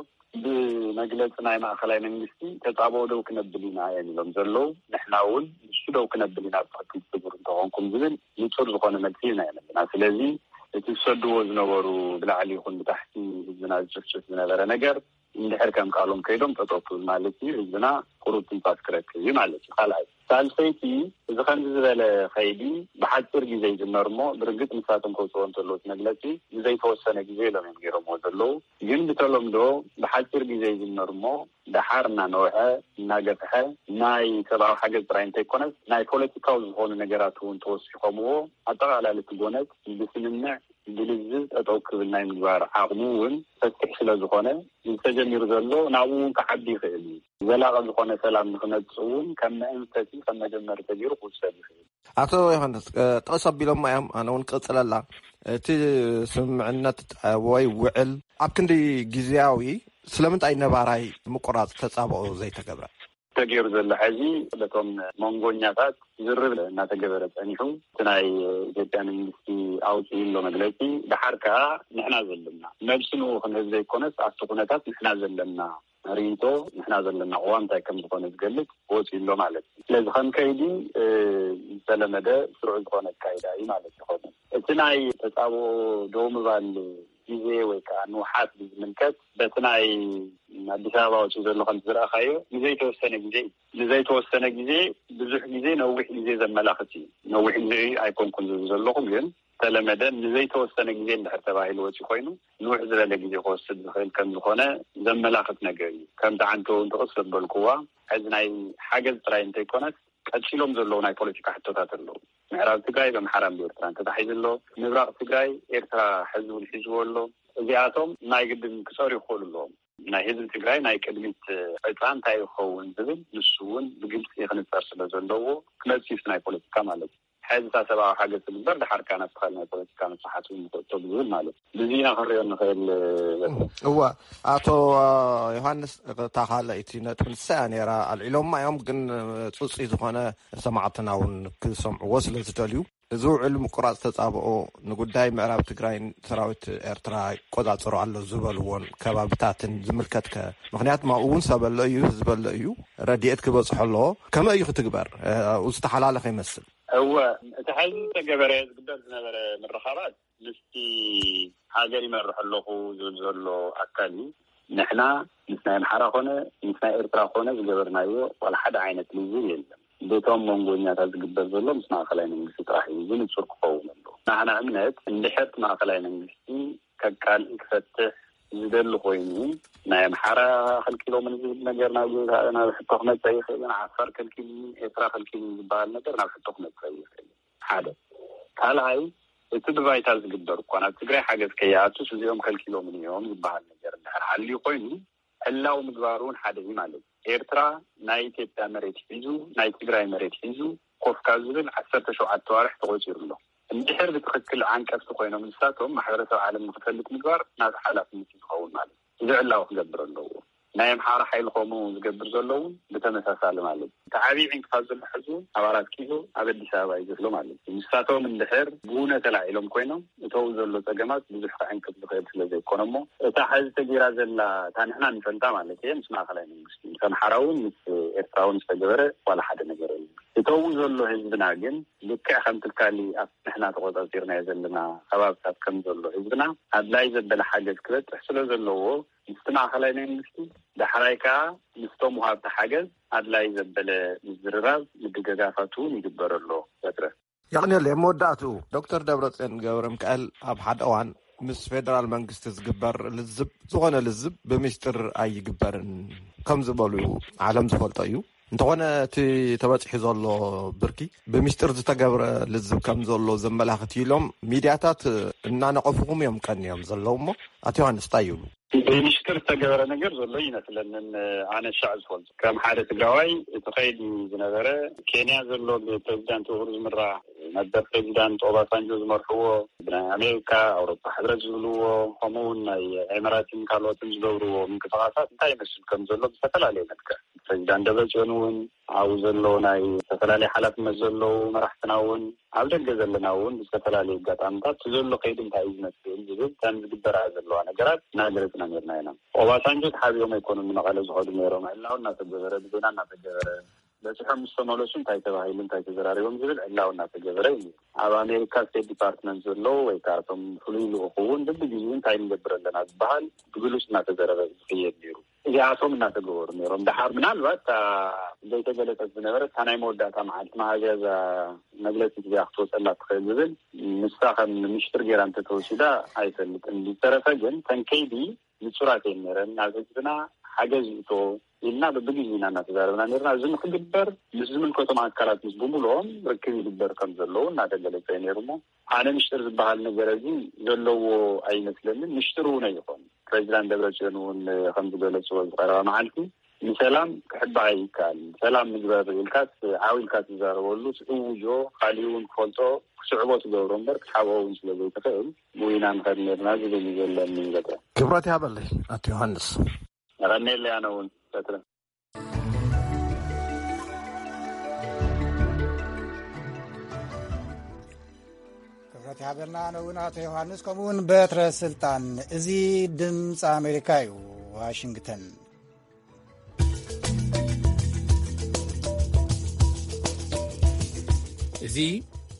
ብመግለፂ ናይ ማእኸላይ መንግስቲ ተፃብኦ ደው ክነብል ኢና እዮም ኢሎም ዘለዉ። ንሕና እውን ንሱ ደው ክነብል ኢና ብትኽክል ትብሩ እንተኾንኩም ዝብል ንፁር ዝኾነ መልሲ ኢና የመልና። ስለዚ እቲ ዝሰድዎ ዝነበሩ ብላዕሊ ይኹን ብታሕቲ ህዝብና ዝጭፍጭፍ ዝነበረ ነገር እንድሕር ከም ቃሎም ከይዶም ጠጠው ክብል ማለት እዩ። ህዝብና ቁሩብ ትንፋስ ክረክብ እዩ ማለት እዩ። ካልኣይ ሳልሰይቲ እዚ ከምዚ ዝበለ ከይዲ ብሓፂር ግዜ ይጅመር እሞ ብርግፅ ንሳቶም ከውፅዎ እንተለዉ እቲ መግለፂ ንዘይተወሰነ ግዜ ኢሎም እዮም ገይሮምዎ ዘለዉ። ግን ብተለምዶ ብሓፂር ግዜ ይጅመር እሞ ደሓር እናነውሐ እናገፍሐ ናይ ሰብኣዊ ሓገዝ ጥራይ እንተይኮነስ ናይ ፖለቲካዊ ዝኾኑ ነገራት እውን ተወሲኾምዎ ኣጠቓላሊ እቲ ጎነጽ ብስምምዕ ብልዝብ ጠጠው ክብል ናይ ምግባር ዓቕሙ እውን ሰፊሕ ስለ ዝኾነ ዝተጀሚሩ ዘሎ ናብኡ እውን ክዓቢ ይኽእል እዩ። ዘላቒ ዝኾነ ሰላም ንክመፅእ እውን ከም መእንፈቲ ከም መጀመሪ ተገይሩ ክውሰድ ይኽእል። ኣቶ ዮሃንስ ጥቕስ ኣቢሎማ እዮም፣ ኣነ እውን ክቕፅለላ። እቲ ስምምዕነት ወይ ውዕል ኣብ ክንዲ ግዝያዊ ስለምንታይ ነባራይ ምቁራፅ ተፃብኦ ዘይተገብረ? ተገይሩ ዘሎ ሕዚ በቶም መንጎኛታት ዝርብ እናተገበረ ፀኒሑ እቲ ናይ ኢትዮጵያ መንግስቲ ኣውፅኡ ኣሎ መግለፂ። ድሓር ከዓ ንሕና ዘለና ነብሲ ንኡ ክንህብ ዘይኮነስ ኣብቲ ኩነታት ንሕና ዘለና ርኢቶ ንሕና ዘለና ቅዋም እንታይ ከም ዝኾነ ዝገልፅ ወፂኡ ኣሎ ማለት እዩ። ስለዚ ከም ከይዲ ዝተለመደ ስሩዕ ዝኾነ ኣካይዳ እዩ ማለት ይኸውን። እቲ ናይ ተፃብኦ ደው ምባል ግዜ ወይ ከዓ ንውሓት ብዝምልከት በቲ ናይ ኣዲስ ኣበባ ወፂኡ ዘሎ ከምቲ ዝረኣኻዮ ንዘይተወሰነ ግዜ እዩ። ንዘይተወሰነ ግዜ ብዙሕ ግዜ ነዊሕ ግዜ ዘመላኽት እዩ። ነዊሕ ግዜ ኣይኮንኩን ዝብል ዘለኹ ግን ዝተለመደ ንዘይተወሰነ ግዜ እንድሕር ተባሂሉ ወፂኡ ኮይኑ ንውሕ ዝበለ ግዜ ክወስድ ዝኽእል ከም ዝኾነ ዘመላኽት ነገር እዩ። ከምቲ ዓንቶ እውን ጥቕስ ዘበልክዋ ሕዚ ናይ ሓገዝ ጥራይ እንተይኮነስ ቀፂሎም ዘለዉ ናይ ፖለቲካ ሕቶታት ኣለዉ። ምዕራብ ትግራይ ብኣምሓራን ብኤርትራን ተታሒዙ ኣሎ። ምብራቕ ትግራይ ኤርትራ ሕዚ እውን ሒዝዎ ኣሎ። እዚኣቶም ናይ ግድን ክፀሩ ይኽእሉ ኣለዎም። ናይ ህዝቢ ትግራይ ናይ ቅድሚት ዕፃ እንታይ ይኸውን ዝብል ንሱ እውን ብግልፂ ክንፀር ስለ ዘለዎ ክመፅእ እዩ ናይ ፖለቲካ ማለት እዩ። ሕዚ እታ ሰብኣዊ ሓገዝ ትግበር ድሓር ከዓ ናብቲ ካልእ ናይ ፖለቲካ መስሓት እውን ንክእቶ ብዝብል ማለት እዩ። ብዚ ኢና ክንሪኦ ንኽእል። እወ ኣቶ ዮሃንስ እታ ካልኣይቲ ነጥቢ ንሳ እያ ነይራ ኣልዒሎማ እዮም ግን ፅፁይ ዝኾነ ሰማዕትና እውን ክሰምዕዎ ስለ ዝደልዩ እዚ ውዕል ምቁራፅ ተፃብኦ ንጉዳይ ምዕራብ ትግራይን ሰራዊት ኤርትራ ይቆፃፀሮ ኣሎ ዝበልዎን ከባብታትን ዝምልከትከ? ምክንያቱ ኣብኡ እውን ሰብ ኣሎ እዩ፣ ህዝቢ ኣሎ እዩ፣ ረድኤት ክበፅሖ ኣለዎ። ከመይ እዩ ክትግበር? ኣብኡ ዝተሓላለኸ ይመስል። እወ፣ እቲ ሕዚ ዝተገበረ ዝግበር ዝነበረ ምርኻባት ምስቲ ሃገር ይመርሕ ኣለኹ ዝብል ዘሎ ኣካል እዩ። ንሕና ምስ ናይ ኣምሓራ ኮነ ምስ ናይ ኤርትራ ኮነ ዝገበርናዮ ዋላ ሓደ ዓይነት ልዝብ የለን። በቶም መንጎኛታት ዝግበር ዘሎ ምስ ማእኸላይ መንግስቲ ጥራሕ እዩ። እዚ ንፁር ክኸውን ኣለዎ። ናህና እምነት እንድሕር እቲ ማእኸላይ መንግስቲ ከቃልዕ ክፈትሕ ዝደሊ ኮይኑ፣ ናይ ኣምሓራ ከልኪሎምን ዝብል ነገር ናብ ናብ ሕቶ ክመጽእ ይኽእል፣ ዓፋር ከልኪሉኒ፣ ኤርትራ ከልኪሉኒ ዝበሃል ነገር ናብ ሕቶ ክመጽእ ይኽእል። ሓደ። ካልኣይ፣ እቲ ብባይታ ዝግበር እኳ ናብ ትግራይ ሓገዝ ከይኣቱስ እዚኦም ከልኪሎምን እዮም ዝበሃል ነገር እንድሕር ሓልዩ ኮይኑ፣ ዕላዊ ምግባሩ እውን ሓደ እዩ ማለት እዩ። ኤርትራ ናይ ኢትዮጵያ መሬት ሒዙ፣ ናይ ትግራይ መሬት ሒዙ ኮፍ ካብ ዝብል ዓሰርተ ሸውዓተ ዋርሕ ተቖጺሩ ኣሎ። እንድሕር ብትኽክል ዓንቀፍቲ ኮይኖም ንሳቶም ማሕበረሰብ ዓለም ንክፈልጥ ምግባር ናቱ ሓላፍነት እዩ ዝኸውን ማለት እዩ። እዚ ዕላዊ ክገብር ኣለዎ። ናይ ኣምሓራ ሓይሊ ከምኡ ዝገብር ዘሎ እውን ብተመሳሳሊ ማለት እዩ። እቲ ዓብዪ ዕንቅፋት ዘሎ ሕዚ እውን ኣብ ኣራት ኪሎ ኣብ ኣዲስ ኣበባ እዩ ዘሎ ማለት እዩ። ንሳቶም እንድሕር ብእውነ ተላዒሎም ኮይኖም እተው ዘሎ ጸገማት ብዙሕ ክዕንቅፍ ዝኽእል ስለ ዘይኮነ እሞ እታ ሕዚ ተጌራ ዘላ እታ ንሕና ንፈልጣ ማለት እየ ምስ ማእኸላይ መንግስቲ ምስ ኣምሓራ እውን ምስ ኤርትራ እውን ዝተገበረ ዋላ ሓደ ነገር የለን። እተው ዘሎ ህዝብና ግን ልክዕ ከምቲ ካሊ ኣብ ንሕና ተቆጻጺርናዮ ዘለና ከባብታት ከም ዘሎ ህዝብና ኣድላይ ዘበለ ሓገዝ ክበጽሕ ስለ ዘለዎ ምስቲ ማእኸላይ መንግስቲ ዳሕራይ ከኣ ምስቶም ወሃብቲ ሓገዝ ኣድላይ ዘበለ ምዝርራብ ምድግጋፋት እውን ይግበር ኣሎ። በትረ። የቕንየለይ። ኣብ መወዳእትኡ ዶክተር ደብረጽዮን ገብረ ሚካኤል ኣብ ሓደ እዋን ምስ ፌደራል መንግስቲ ዝግበር ልዝብ ዝኾነ ልዝብ ብሚስጥር ኣይግበርን ከም ዝበሉ ዓለም ዝፈልጦ እዩ። እንተኾነ እቲ ተበጺሑ ዘሎ ብርኪ ብሚስጥር ዝተገብረ ልዝብ ከም ዘሎ ዘመላኽት ኢሎም ሚድያታት እናነቐፉኹም እዮም ቀንዮም ዘለዉ እሞ ኣቶ ዮሃንስ እንታይ ይብሉ? ብሚስጥር ዝተገበረ ነገር ዘሎ ይመስለንን ኣነ ሻዕ ዝፈልጦ ከም ሓደ ትግራዋይ እቲ ከይዲ ዝነበረ ኬንያ ዘሎ ብፕሬዚዳንት ኡሁሩ ዝምራሕ ነበር ፕሬዚዳንት ኦባሳንጆ ዝመርሕዎ ብናይ ኣሜሪካ ኣውሮፓ ሕብረት ዝብልዎ ከምኡ እውን ናይ ኤምራትን ካልኦትን ዝገብርዎ ምንቅስቃሳት እንታይ ይመስል ከም ዘሎ ብዝተፈላለየ መልክዕ ፕሬዚዳንት ደብረፅዮን እውን ኣብኡ ዘለዉ ናይ ዝተፈላለዩ ሓላፍነት ዘለዉ መራሕትና እውን ኣብ ደገ ዘለና እውን ብዝተፈላለዩ ኣጋጣምታት እቲ ዘሎ ከይዲ እንታይ እዩ ዝመስል ዝብል እተን ዝግበራ ዘለዋ ነገራት እናገለፅና ነርና ኢና። ኦባሳንጆ ተሓቢኦም ኣይኮኑን ንመቐለ ዝኸዱ ነይሮም። ዕላዊ እናተገበረ ብዜና እናተገበረ በፂሖም ምስ ተመለሱ እንታይ ተባሂሉ እንታይ ተዘራሪቦም ዝብል ዕላዊ እናተገበረ እዩ። ኣብ ኣሜሪካ ስቴት ዲፓርትመንት ዘለዉ ወይ ከዓ እቶም ፍሉይ ልኡኹ እውን ብብግዜኡ እንታይ ንገብር ኣለና ዝበሃል ብግሉፅ እናተዘረበ ዝኽየድ ነይሩ። እዚኣቶም እናተገበሩ ነይሮም። ደሓር ምናልባት ዘይተገለፀት ዝነበረ እታ ናይ መወዳእታ መዓልቲ መሃዝያ እዛ መግለፂ እዚኣ ክትወፀላ ትኽእል ዝብል ንሳ ከም ምሽጥር ገይራ እንተተወሲዳ ኣይፈልጥን። ዝተረፈ ግን ተንከይዲ ንፁራት እየን ነይረን። ናብ ህዝብና ሓገዝ ይእቶ ኢልና ብብግዜና እናተዛረብና ነርና። እዚ ንክግበር ምስ ዝምልከቶም ኣካላት ምስ ብምልኦም ርክብ ይግበር ከም ዘለዉ እናተገለፀ ነይሩ እሞ ኣነ ምሽጥር ዝበሃል ነገር እዚ ዘለዎ ኣይመስለንን። ምሽጥር እውን ኣይኾን። ፕሬዚዳንት ደብረፅዮን እውን ከም ዝገለፅዎ ዝቀረባ መዓልቲ ንሰላም ክሕባእ ይከኣል። ሰላም ንግበር ኢልካስ ዓው ኢልካ ትዛረበሉ ትእውጆ ካሊእ እውን ክፈልጦ ክስዕቦ ትገብሮ እምበር ክትሓብኦ እውን ስለ ዘይትኽእል ብዊና ንኸድ ነርና ዝብል እዩ ዘለኒ። በቃ ክብረት ይሃበለይ ኣቶ ዮሃንስ። ረኔለ ኣነ እውን በትረ። ክብረት ይሃበልና ኣነ እውን ኣቶ ዮሃንስ ከምኡ እውን በትረ ስልጣን። እዚ ድምፂ ኣሜሪካ እዩ። ዋሽንግተን። እዚ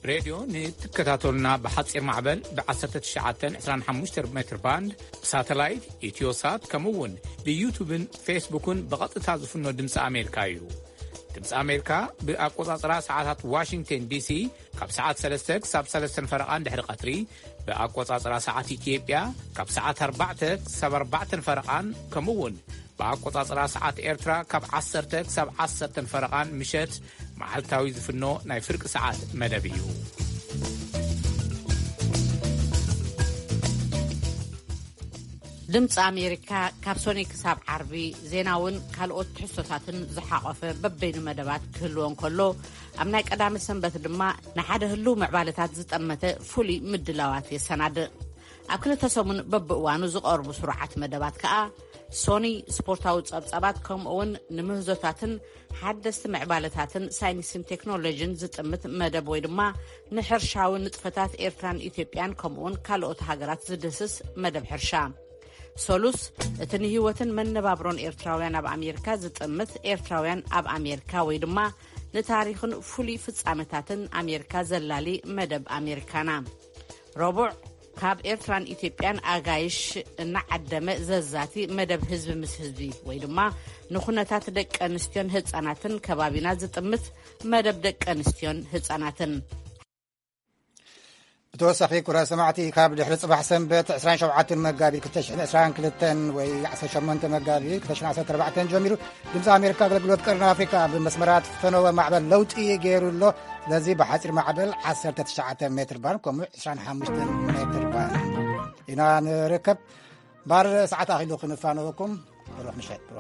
ሬድዮ ንትከታተሉና ብሓፂር ማዕበል ብ1925 ሜትር ባንድ ብሳተላይት ኢትዮሳት ከምኡ እውን ብዩቱብን ፌስቡክን ብቐጥታ ዝፍኖ ድምፂ ኣሜሪካ እዩ። ድምፂ ኣሜሪካ ብኣቆፃፅራ ሰዓታት ዋሽንግተን ዲሲ ካብ ሰዓት ሰለስተ ክሳብ ሰለስተን ፈረቓን ድሕሪ ቀትሪ ብኣቆፃፅራ ሰዓት ኢትዮጵያ ካብ ሰዓት ኣርባዕተ ክሳብ ኣርባዕተን ፈረቓን ከምኡ እውን ብኣቆጻጽራ ሰዓት ኤርትራ ካብ ዓሰርተ ክሳብ ዓሰርተ ፈረቓን ምሸት መዓልታዊ ዝፍኖ ናይ ፍርቂ ሰዓት መደብ እዩ። ድምፂ ኣሜሪካ ካብ ሶኒ ክሳብ ዓርቢ ዜናውን ካልኦት ትሕዝቶታትን ዝሓቖፈ በበይኑ መደባት ክህልዎ እንከሎ፣ ኣብ ናይ ቀዳመ ሰንበት ድማ ንሓደ ህልው ምዕባለታት ዝጠመተ ፍሉይ ምድላዋት የሰናድእ። ኣብ ክልተ ሰሙን በብእዋኑ ዝቐርቡ ስሩዓት መደባት ከኣ ሶኒ ስፖርታዊ ጸብጻባት፣ ከምኡ'ውን ንምህዞታትን ሓደስቲ ምዕባለታትን ሳይንስን ቴክኖሎጂን ዝጥምት መደብ ወይ ድማ ንሕርሻዊ ንጥፈታት ኤርትራን ኢትዮጵያን ከምኡ'ውን ካልኦት ሃገራት ዝድህስስ መደብ ሕርሻ። ሰሉስ፣ እቲ ንህይወትን መነባብሮን ኤርትራውያን ኣብ ኣሜሪካ ዝጥምት ኤርትራውያን ኣብ ኣሜሪካ ወይ ድማ ንታሪኽን ፍሉይ ፍጻመታትን ኣሜሪካ ዘላሊ መደብ ኣሜሪካና። ረቡዕ፣ ካብ ኤርትራን ኢትዮጵያን ኣጋይሽ እናዓደመ ዘዛቲ መደብ ህዝቢ ምስ ህዝቢ ወይ ድማ ንኩነታት ደቂ ኣንስትዮን ህጻናትን ከባቢና ዝጥምት መደብ ደቂ ኣንስትዮን ህጻናትን። ብተወሳኺ፣ ኩረ ሰማዕቲ፣ ካብ ድሕሪ ጽባሕ ሰንበት ዕስራን ሸውዓተን መጋቢት ክልተ ሽሕን ዕስራን ክልተን ወይ ዓሰርተ ሸሞንተ መጋቢት ክልተ ሽሕን ዓሰርተ ኣርባዕተን ጀሚሩ፣ ድምፂ ኣሜሪካ ኣገልግሎት ቀርኒ ኣፍሪካ ብመስመራት ፈነወ ማዕበል ለውጢ ገይሩ ኣሎ። ስለዚ፣ ብሓፂር ማዕበል ዓሰርተ ትሽዓተ ሜትር ባንድ፣ ከምኡ ዕስራን ሓሙሽተን ሜትር ባንድ ኢና ንርከብ። ባር ሰዓት ኣኺሉ ክንፋነወኩም። ብሩኽ ምሸት፣ ብሩኽ